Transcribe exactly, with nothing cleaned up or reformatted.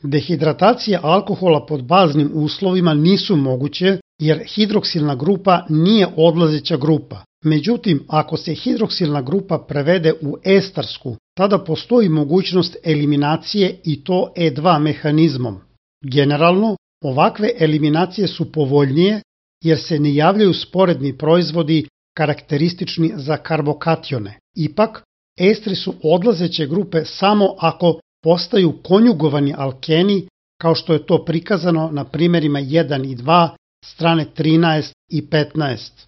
Dehidratacija alkohola pod baznim uslovima nisu moguće jer hidroksilna grupa nije odlazeća grupa. Međutim, ako se hidroksilna grupa prevede u estarsku, tada postoji mogućnost eliminacije i to E dva mehanizmom. Generalno, ovakve eliminacije su povoljnije jer se ne javljaju sporedni proizvodi karakteristični za karbokatione. Ipak, estri su odlazeće grupe samo ako postaju konjugovani alkeni, kao što je to prikazano na primjerima jedan i dva, strane trinaest i petnaest.